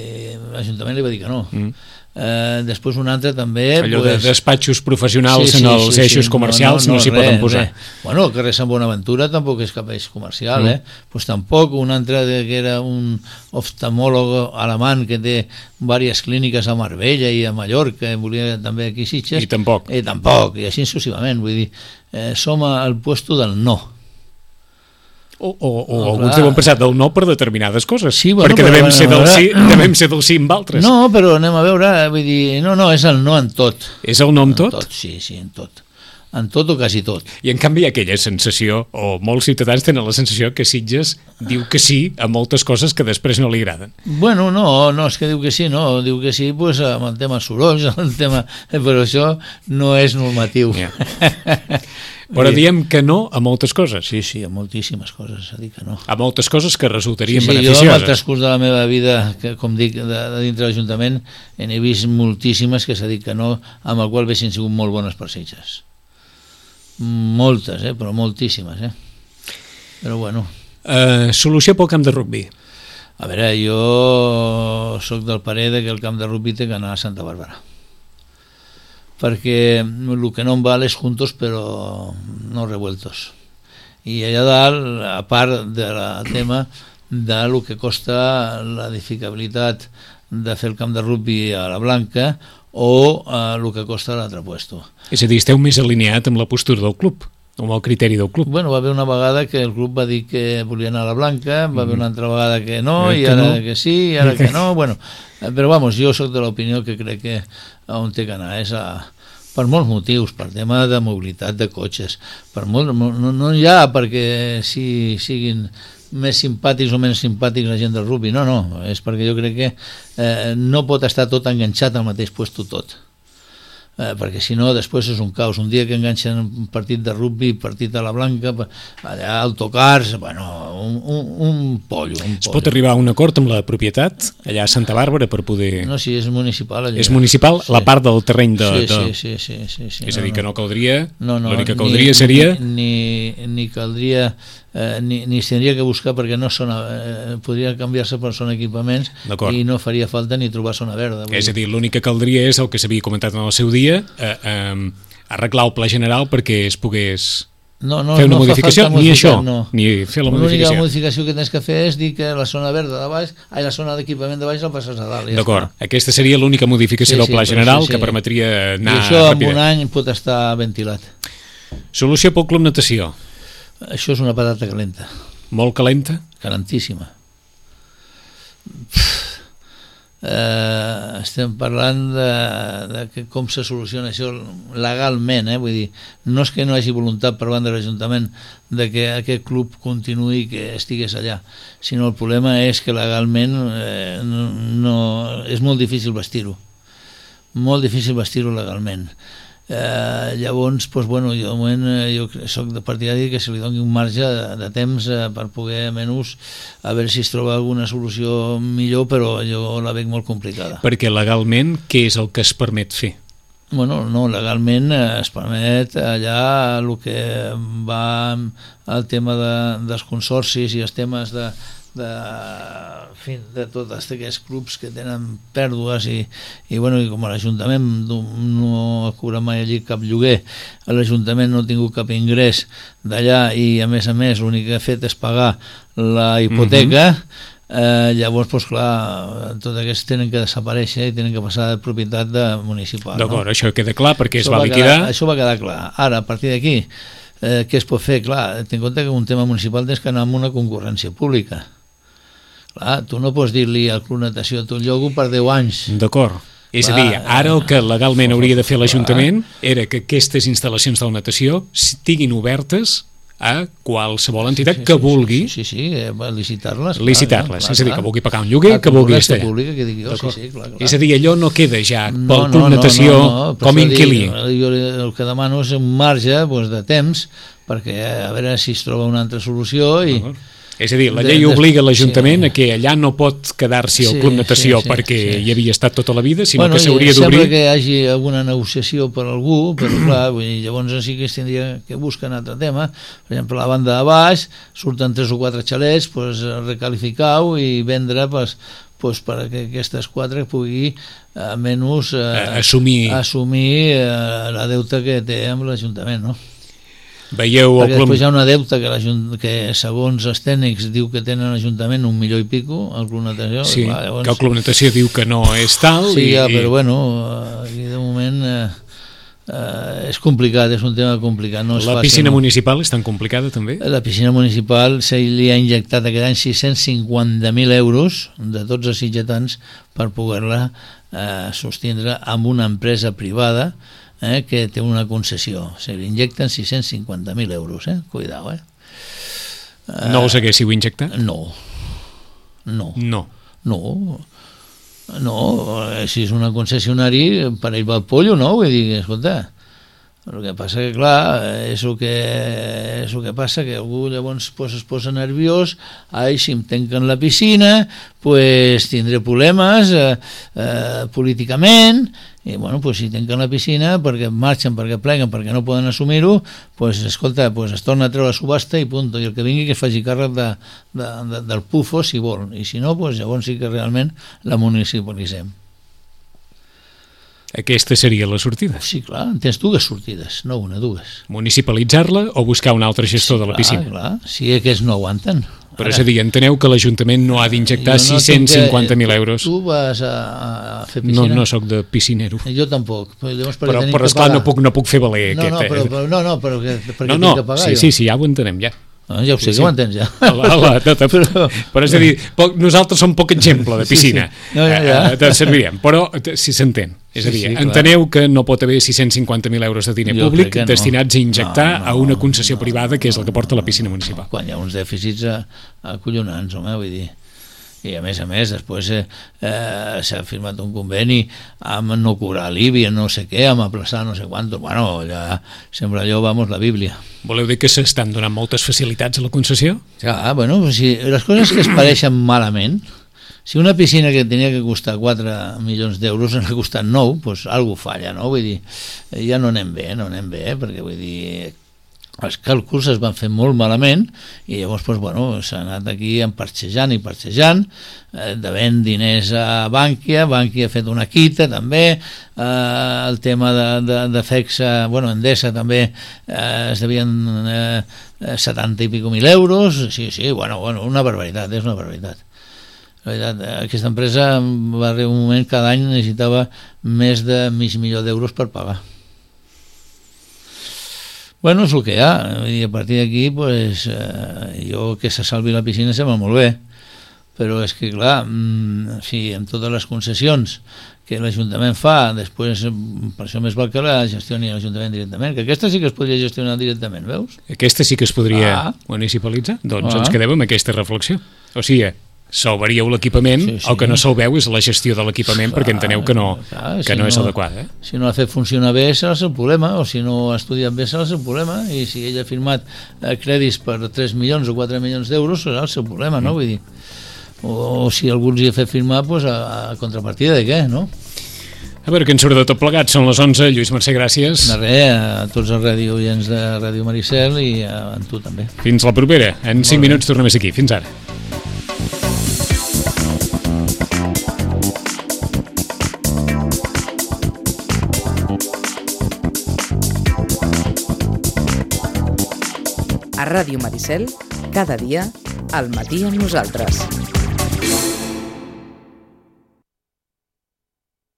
l'Ajuntament li va dir que no. Mm. Eh, després un altre també... Allò pues, de despatxos professionals sí, sí, en els sí, eixos sí, comercials no, no, no s'hi poden posar. Res. Bueno, el carrer Sant Bonaventura tampoc és cap eix comercial, mm. eh? Pues tampoc. Un altre que era un oftalmòleg alemany que té diverses clíniques a Marbella i a Mallorca, volia també aquí a Sitges. I tampoc. I tampoc, i així successivament. Vull dir, eh, som al puesto del no. O, o, o oh, alguns deuen pensar del no per determinades coses, sí, bueno, perquè però, devem, bueno, ser del ara... sí, devem ser del sí amb altres. No, però anem a veure, vull dir, no, no, és el no en tot. És el no en tot? En tot, sí, sí, en tot. En tot o quasi tot. I en canvi hi ha aquella sensació, o molts ciutadans tenen la sensació que Sitges diu que sí a moltes coses que després no li agraden. Bueno, no, no és que diu que sí, no, diu que sí pues, amb el tema sorolls, el tema... però això no és normatiu. Yeah. Però diem que no a moltes coses. Sí, sí, a moltíssimes coses, s'ha dit que no. A moltes coses que resultarien sí, sí, beneficioses. Jo, amb el transcurs de la meva vida, que, com dic, de, de dintre de l'Ajuntament, n'he vist moltíssimes que s'ha dit que no, amb el qual haguessin sigut molt bones per Sitges. Moltes, eh? Però moltíssimes, eh? Però bueno. Uh, solució pel camp de rugbi. A veure, jo sóc del parer de que el camp de rugbi té que anar a Santa Bàrbara, perquè el que no em val és juntos però no revueltos. I allà dalt, a part del tema de lo que costa l'edificabilitat de fer el camp de rugbi a la Blanca o el que costa l'altre puesto. És a dir, esteu més alineat amb la postura del club, amb el criteri del club. Bueno, va haver una vegada que el club va dir que volia anar a la Blanca, va haver una altra vegada que no, eh, i que ara no. que sí, i ara que no, bueno, però vamos, jo sóc de l'opinió que crec que on té que anar és a per molts motius, per tema de mobilitat de cotxes, per molt, no, no hi ha perquè si siguin més simpàtics o menys simpàtics la gent del rugby, no, no, és perquè jo crec que eh, no pot estar tot enganxat al mateix puesto tot. Eh, perquè si no després és un caos. Un dia que enganxen un partit de rugby, partit a la Blanca, allà autocars, bueno, un, un, un pollo, un es pollo. pot arribar a un acord amb la propietat allà a Santa Bàrbara per poder... No, sí, és municipal allà. És municipal, sí. La part del terreny de... Sí, de... sí, sí, sí, sí, sí. És no, a dir, que no caldria... No, no, l'únic que caldria ni, seria... Ni, ni, ni caldria... Eh, ni, ni s'hauria que buscar perquè no són, eh, podria canviar-se per són equipaments i no faria falta ni trobar zona verda. És a dir, l'únic que caldria és el que s'havia comentat en el seu dia, eh, eh, arreglar el pla general perquè es pogués no, no, fer una no modificació, ni això, no. ni fer la modificació. L'única modificació que tens que fer és dir que la zona verda de baix, ai, la zona d'equipament de baix la passes a dalt. Ja D'acord, està. Aquesta seria l'única modificació sí, del pla sí, general sí, sí. que permetria anar I això ràpida. En un any pot estar ventilat. Solució pel Club Natació. Això és una patata calenta. Molt calenta? Calentíssima. Eh, estem parlant de, de que com se soluciona això legalment, eh? Vull dir, no és que no hi hagi voluntat per banda de l'Ajuntament de que aquest club continuï que estigués allà, sinó el problema és que legalment eh, no, no, és molt difícil vestir-ho, molt difícil vestir-ho legalment. Eh, llavors, doncs, bueno, jo, moment, jo soc de partidari que se li doni un marge de, de temps eh, per poder menys a veure si es troba alguna solució millor, però jo la veig molt complicada. Perquè legalment què és el que es permet fer? Bueno, no, legalment eh, es permet allà el que va al tema de, dels consorcis i els temes de, de, en fi, de tots aquests clubs que tenen pèrdues i, i, bueno, i com l'Ajuntament no ha cobrat mai allí cap lloguer, l'Ajuntament no ha tingut cap ingrés d'allà i a més a més l'únic que ha fet és pagar la hipoteca, mm-hmm. eh, llavors, doncs clar, tots aquests tenen que desaparèixer i tenen que passar de propietat de municipal. D'acord, no? Això queda clar perquè això es va, va liquidar. Quedar, això va quedar clar. Ara, a partir d'aquí, eh, què es pot fer? Clar, ten en compte que un tema municipal tens que anar amb una concurrència pública. Clar, tu no pots dir-li al Club Natació tu llogo per deu anys. D'acord. És clar, a dir, ara el que legalment hauria de fer l'Ajuntament era que aquestes instal·lacions de la natació estiguin obertes a qualsevol entitat sí, sí, que vulgui sí, sí, sí, sí, licitar-les licitar-les, és a dir, que vulgui pagar un lloguer, que vulgui estar allà. Pública, que digui, oh, sí, sí, clar, clar. És a dir, allò no queda ja pel no, Club no, Natació no, no, no, com inquilí. Jo el que demano és un marge doncs, de temps perquè a veure si es troba una altra solució i... És a dir, la llei obliga l'Ajuntament sí. a que allà no pot quedar-s'hi el sí, Club Natació sí, sí, perquè sí. hi havia estat tota la vida, sinó bueno, que s'hauria d'obrir... Sembla que hi hagi alguna negociació per algú, però clar, vull dir, llavors sí que es tindria que buscar un altre tema. Per exemple, a la banda de baix surten tres o quatre xalets, pues, recalificar-ho i vendre pues, pues, perquè aquestes quatre pugui almenys eh, assumir, assumir eh, la deuta que té amb l'Ajuntament, no? Veieu perquè el després hi ha una deuta que, que segons els tècnics diu que tenen l'Ajuntament un milió i pico el Club Natació sí, va, llavors... que el Club Natació diu que no és tal sí, i, ja, i... però bueno aquí de moment eh, eh, és complicat, és un tema complicat no és la fàcil, piscina no? municipal és tan complicada també? La piscina municipal se li ha injectat aquest any sis-cents cinquanta mil euros de tots els sitgetans per poder-la eh, sostindre amb una empresa privada Eh, que té una concessió, se li injecten sis-cents cinquanta mil euros, eh? Cuidao, eh? No us haguéssiu injectat? No. No. No. No. No, si és una concessionari, per ell va el pollo, no? Vull dir, escolta, el que passa que, clar, és el que, és el que passa que algú llavors pues, es posa nerviós, ai, si em tanquen la piscina, pues tindré problemes eh, eh, políticament, i bueno, pues, si tanquen la piscina perquè marxen, perquè pleguen, perquè no poden assumir-ho, pues, escolta, pues, es torna a treure la subhasta i punt, i el que vingui que es faci càrrec de, de, de, del pufo si vol, i si no, pues, llavors sí que realment la municipalitzem. Aquesta seria la sortida? Sí, clar, tens dues sortides, no una, dues. Municipalitzar-la o buscar un altre gestor sí, de la piscina? Clar, clar, si aquests no aguanten. Però és a dir, enteneu que l'Ajuntament no ha d'injectar no sis-cents cinquanta mil euros. Tu vas a, a fer piscina? No, no soc de piscinero. Jo tampoc. Llavors, però, però esclar, no puc, no puc fer valer no, aquest... No, però, però, no, no, però perquè no, no, tinc que pagar sí, jo. Sí, sí, ja ho entenem, ja. No, ja ho sé, sí, que ho entens ja. Hola, hola, no, no, però, però és a dir, poc, nosaltres som poc exemple de piscina. Sí, sí. No, ja, ja. Eh, te servirem, però si s'entén. És a dir, sí, sí, enteneu clar. Que no pot haver sis-cents cinquanta mil euros de diner jo públic no. destinats a injectar no, no, a una concessió no, privada que és el que porta la piscina municipal. Quan hi ha uns dèficits acollonants, home, vull dir. I a més a més després eh, eh, s'ha firmat un conveni amb no cobrar l'I B I, no sé què, amb aplaçar no sé quantos, bueno, allà sembla allò, vamos, la Bíblia. Voleu dir que s'estan donant moltes facilitats a la concessió? Ja, bueno, si les coses que es pareixen malament, si una piscina que tenia que costar quatre milions d'euros n'ha costat nou, doncs alguna cosa falla, no? Vull dir, ja no anem bé, no anem bé, perquè vull dir... els càlculs es van fer molt malament i llavors doncs, bueno, s'ha anat aquí emparxejant i parxejant, eh, devent diners a Bànquia, Bànquia ha fet una quita també, eh, el tema de, de, de FEXA, bueno, Endesa també eh, es devien eh, setanta i pico mil euros, sí, sí, bueno, bueno, una barbaritat, és una barbaritat. La veritat, aquesta empresa va arribar un moment, cada any necessitava més de mig milió d'euros per pagar. Bueno, és el que hi ha, i a partir d'aquí pues, eh, jo que se salvi la piscina sembla molt bé, però és que clar, si amb totes les concessions que l'Ajuntament fa, després per això més val que la gestioni l'Ajuntament directament, que aquesta sí que es podria gestionar directament, veus? Aquesta sí que es podria ah. municipalitzar? Doncs ah. ens quedem amb aquesta reflexió. O sigui, salvaríeu l'equipament, sí, sí. El que no salveu és la gestió de l'equipament, clar, perquè enteneu que no, clar, que si no és no, adequada. Eh? Si no ha fet funcionar bé serà el seu problema, o si no ha estudiat bé serà el seu problema, i si ell ha firmat eh, crèdits per tres milions o quatre milions d'euros serà el seu problema, no? Mm. Vull dir, o, o si algú els hi ha fet firmar pues, a, a contrapartida de què, no? A veure què ens surt de tot plegat, són les onze. Lluís Mercè, gràcies. De res, a tots els ràdio oients de Ràdio Maricel i a, a tu també. Fins la propera, en cinc minuts tornem a ser aquí. Fins ara. A Ràdio Maricel, cada dia, al matí amb nosaltres.